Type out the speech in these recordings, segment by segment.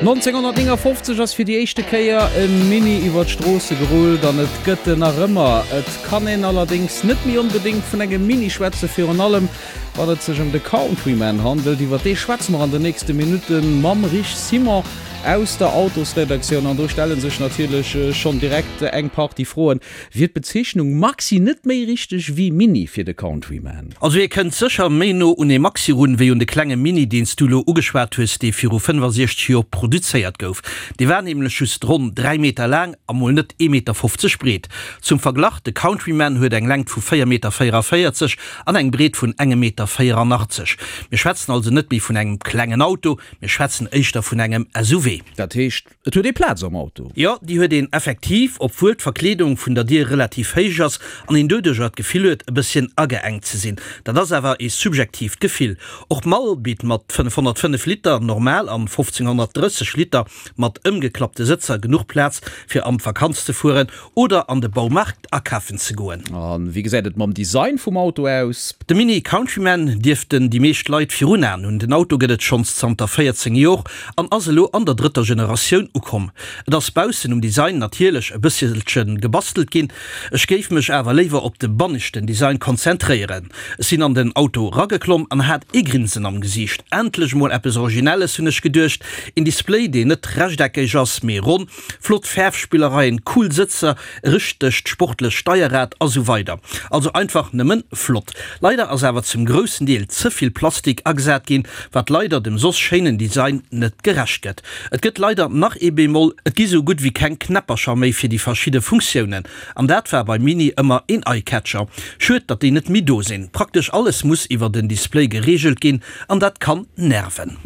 1959 ass fir déi éischte Kéier e Mini iwwer d'Stroosse gerullt an et gëtt en nach ëmmer. Et kann een allerdéngs net méi onbedéngt vun engem Mini schwätzen, virun allem wann et sech ëm de Countryman handelt. Iwwer dee schwätze mer an den nächste Minutte mam Rich Simon aus der Autosredaktioun an do stelle sech natierlech schonn direkt eng Partie Froen. Wier d'Bezeechnung Maxi net méi richteg wéi Mini fir de Countryman? Also hie kënnt sécher méi no un ee Maxi run, wéi un de klenge Mini, deen s du elo ugeschwat hues, dee viru 65 Joer produzéiert gouf. Dee war nämlech just ronn 3 Meter laang a mol net ee Meter 50 breet. Zum Verglach, de Countryman huet eng Längt vu 4 Meter 44 an eng Breet vun engem Meter 84. Mir schwätzen also net méi vun engem klengen Auto, mir schwätzen éischter vun engem SUV. Dat heescht, Et huet ee Plaz am Auto. Jo, déi huet een effektiv, obwuel d'Verkleedung vun der Dier relativ héich ass an een doduercher d'Gefill huet, e bësschen ageengt ze sinn. Dat ass awer ee subjektiivt Gefill. Och d'Mall bitt mat 505 Liter normal an 1530 Liter mat ëmgeklappte Sëtzer genuch Plaz fir an d'Vakanz ze fueren oder an de Baumarkt akafen ze goen. A wéi gesäit et mam Design vum Auto aus? De Mini Countryman dierften déi meescht Leit virun Aen hunn. Den Auto gëtt et schonns zanter 14 Jor an ass elo an der drëtter Generatioun ukomm. Et ass baussen um Design natierlech e bësselche gebastelt ginn, ech géif mech awer léiwer op de banneschten Design konzentréieren. Ech sinn an den Auto rageklomm an hat ee Grinsen am Gesiicht. Endlech mol eppes Originelles, hunn ech geduecht. Een Display, deen net rechteckeg ass, mee ronn. Flott Fäerfspillereien, cool Sëtzer, e richtegt sportlecht Steierrad a sou weider. Also einfach nëmmen flott. Leider ass awer zum groussen Deel ze vill Plastik agesat ginn, wat leider dem soss schéinen Design net gerecht gëtt. Et gëtt leider nach ee Bémol, et gi sou gutt wéi keng Knäppercher méi fir déi verschidde Funktiounen. An dat war beim Mini ëmmer een Eyecatcher. Schued datt déi net méi do sinn. Praktesch alles muss iwwer den Display gereegelt ginn An dat kann nerven.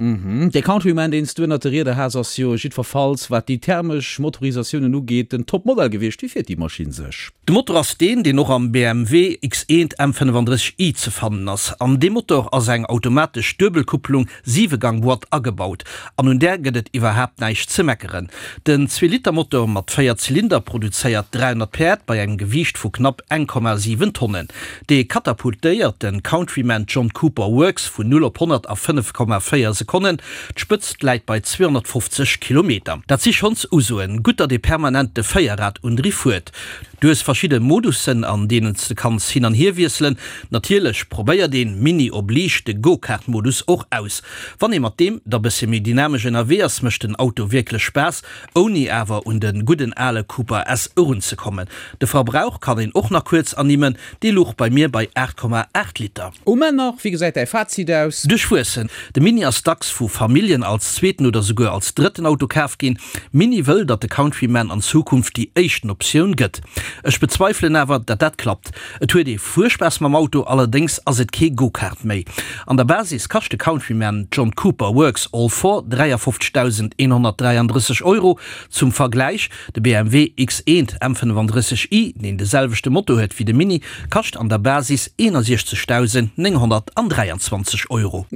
Dee Countryman, deen s du ënnert de Rieder has, ass jo jiddwerfalls, wat déi thermesch Motorisatiounen ugeet, den Top-Modell gewiescht. Wéi fiert déi Maschinn sech? De Motor ass deen, deen och am BMW X1 M35i ze fannen ass. An deem Motor ass eng automatesch Duebelkupplung, Siwegang-Boîte, agebaut. An un där gëtt et iwwerhaapt näischt ze meckeren. Den Zweeliter-Motor mat 4 Zylinder produzéiert 300 Päerd bei engem Gewiicht vu knapp 1,7 Tonnen. Dee katapultéiert de Countryman John Cooper Works vun 0 op 100 a 5,4 Sekonnen. D'Spëtzt läit bei 250 Kilometer. Dat si schonns Usoen. Gutt, datt ee permanent de Véierrad-Undriff huet. Du hues verschidde Modussen, an deenen s de kanns hin an hier wiesselen. Natierlech probéiert een, Mini oblige, de Go-Kart-Modus och aus. Wann ee mat deem da bëssche méi dynamesch ënnerwee ass, mécht den Auto wierklech Spaass. Ouni awer un de gudden ale Cooper S erunzekommen. De Verbrauch kann een och nach kuerz ernimmen, dee luch bei mir bei 8,8 Liter. Um Enn nach, wéi gesäit däi Fazit aus? Duerchwuessen. De Mini ass dacks vu Familljen als zweeten oder souguer als drëtten Auto kaf ginn. Mini wëll, datt de Countryman an Zukunft déi éischten Optioun gëtt. Ech bezweifelen awer, datt dat klappt. Et huet ee Fuerspaass mam Auto, allerdéngs ass et kee Go-Kart méi. An der Basis kascht de Countryman John Cooper Works All Four 53.133 Euro. Zum Vergläich, De BMW X1 M35i, deen de selwechte Motor huet wéi de Mini, kascht an der Basis 61.923 Euro.